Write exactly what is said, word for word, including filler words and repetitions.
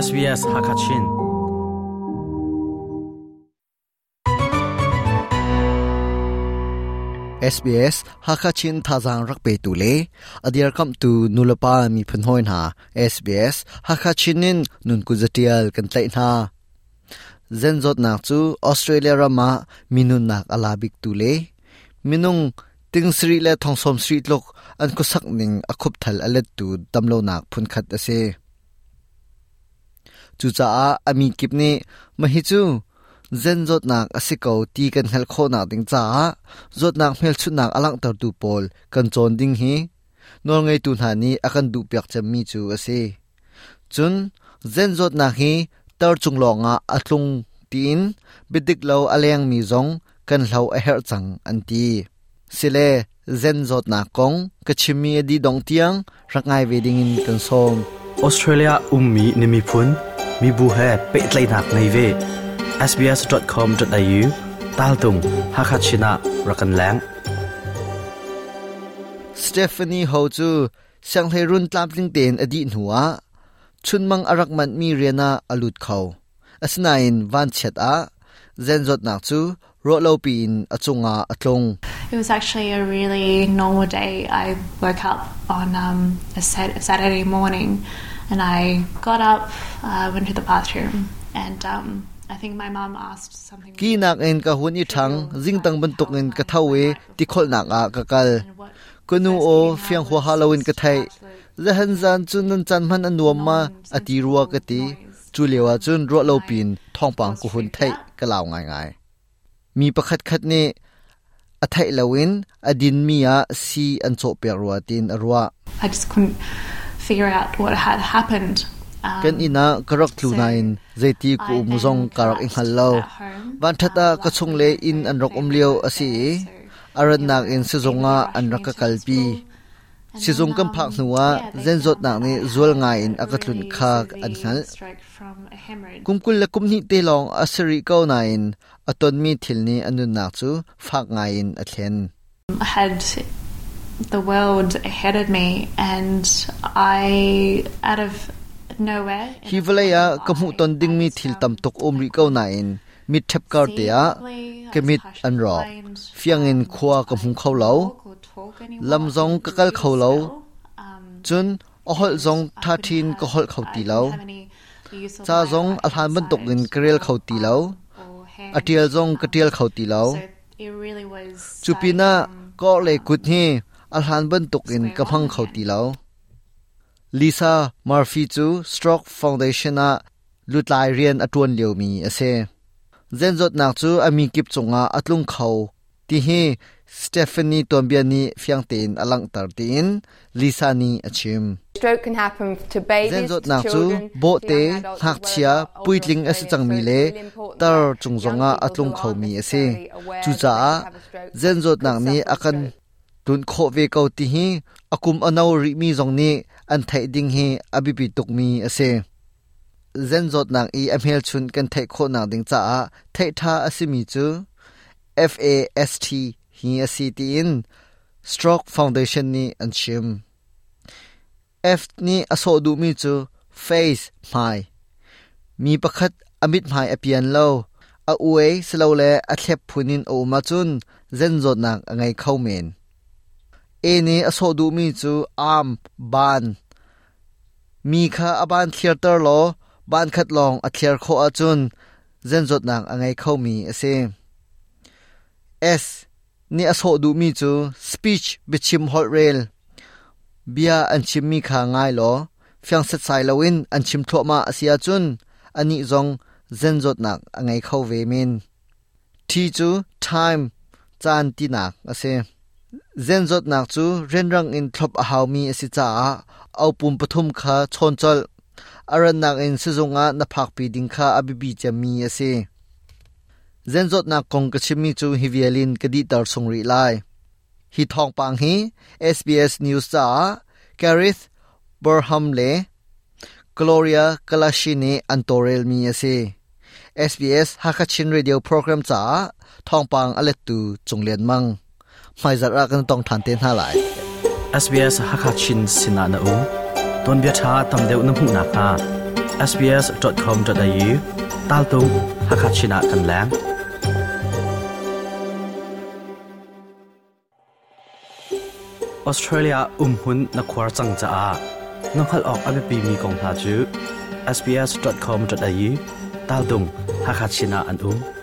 S B S Hakachin S B S Hakachin Thazang rak pe tu le adiar kam tu nulapa mi phun hoi na S B S Hakachinin nun ku zatial kan tlai na Zenzot nak chu Australia rama minun nak alabik tu le minung ting sri le thongsom sri tlok an ku sak ning akhup thal alet tu damlo nak phun khat ase chu cha a ami kipni mahi chu zen zot nak asiko ti kan hel kho nak ding cha zot nak hmel chu nak alang tar tu pol kan chon ding hi nol ngai tu na ni akan du pyak cham mi chu ase chun zen zot nak hi tar chung longa atlung tin bidik lo aleng mi zong kan hlo a her chang an ti sile zen zot nak kong ka chimi adi dong tiang rangai wedding in kan som Australia ummi nimi phun mi bu he pe tlai nak nei ve S B S dot com dot A U tal tung Hakachina rakan lang Stephanie Ho chu sang he run tlam tling ten adi nuwa chunmang arak man mi riana alut khau asnain van chet a zen zot nak chu ro lo pin achunga atlong. It was actually a really normal day. I woke up on um, a Saturday morning and I got up, uh, went to the bathroom and um, I think my mom asked something. Ki nak en ka hun i thang jing tang ban tok en ka thawe ti khol nak a ka kal kunu o fiang ho halloween ka thai zahan zan chun nan chan man anuam ma ati ruwa ka ti chu lewa chun ro lo pin thong pang ku hun thai ka law ngai ngai mi pakhat khat ni a thai lawin adin mi a si an cho pe ruwa tin arwa. I just couldn't figure out what had happened. Kan ina karak tlunain zaiti ku muzong karak ing hallo van thata ka chung le in an rok omlio asi aran nak in sizonga an raka kalpi sizong kam phak nuwa zenzot nak ni zul nga in akatlun kha an hal kumkul la kumni te long asiri ko na in aton mi thilni anun nak chu phak nga in athlen. I had the world ahead of me and I out of nowhere hi valaya kamu ton ding mi thil tam tok omri ko na in mit thep kar te a kemit an ro fiang in khwa ka hmu kho lo lam zong ka kal kho lo chun a hol zong tha thin ka hol kho ti lo cha zong a hlan ban tok in krel kho ti lo atial zong ka tial kho ti lo chupina ko le kut hi a hlan ban tok in ka phang kho ti lo. Lisa Murphy chu Stroke Foundation a lutlai rian atuan liomi ase zenzot nak chu ami kip chunga atlung khau ti hi Stephanie Tombiani fiangten alang tar tin Lisa ni achim. Stroke can happen to babies, zenzot nak chu bo te hak chia puitling ase changmi le tar chungzonga atlung khau mi ase chu cha zenzot nak ni akan tun kho ve ko ti hi akum anau ri mi zong ni an thai ding hi abipi tuk mi ase zenzot nak i amhel chun kan thai kho nak ding cha a thai tha asimi chu F A S T hi asi ti in Stroke Foundation ni an chim F ni aso du mi chu face mai mi pakhat amit mai apian lo a uai slo le a thlep phunin o ma chun zenzot nak angai khau men A ni aso du mi chu arm ban mi kha aban theater lo ban khat long a thler kho a chun zenzot nak angai khau mi ase S ni aso du mi chu speech bichim hol rail bia an chim mi kha ngai lo fyang set sai lowin an chim tho ma asia chun ani zong zenzot nak angai khau ve min T chu time chan ti nak ase zenzot nak chu renrang in thlop a haw mi asi cha au pum pathum kha chon chol aran nak in sizonga na phak pi ding kha abibi chami ase zenzot nak kong ka chimi chu hivialin kadi tar sungri lai hi thong pang hi S B S News cha Gareth Burham le Gloria Kalashini antorel mi ase S B S Hakachin Radio Program cha thong pang alet tu chunglen mang mai zara kan tong than te na lai S B S Hakachin Sinana U ton bia tha tam deuh na hmu na ka sbs dot com dot A U tal tung Hakachina kan lang. Australia umhun na khwar chang cha a nonghal ok abe mi kong ha chu sbs dot com dot A U tal tung Hakachina an um.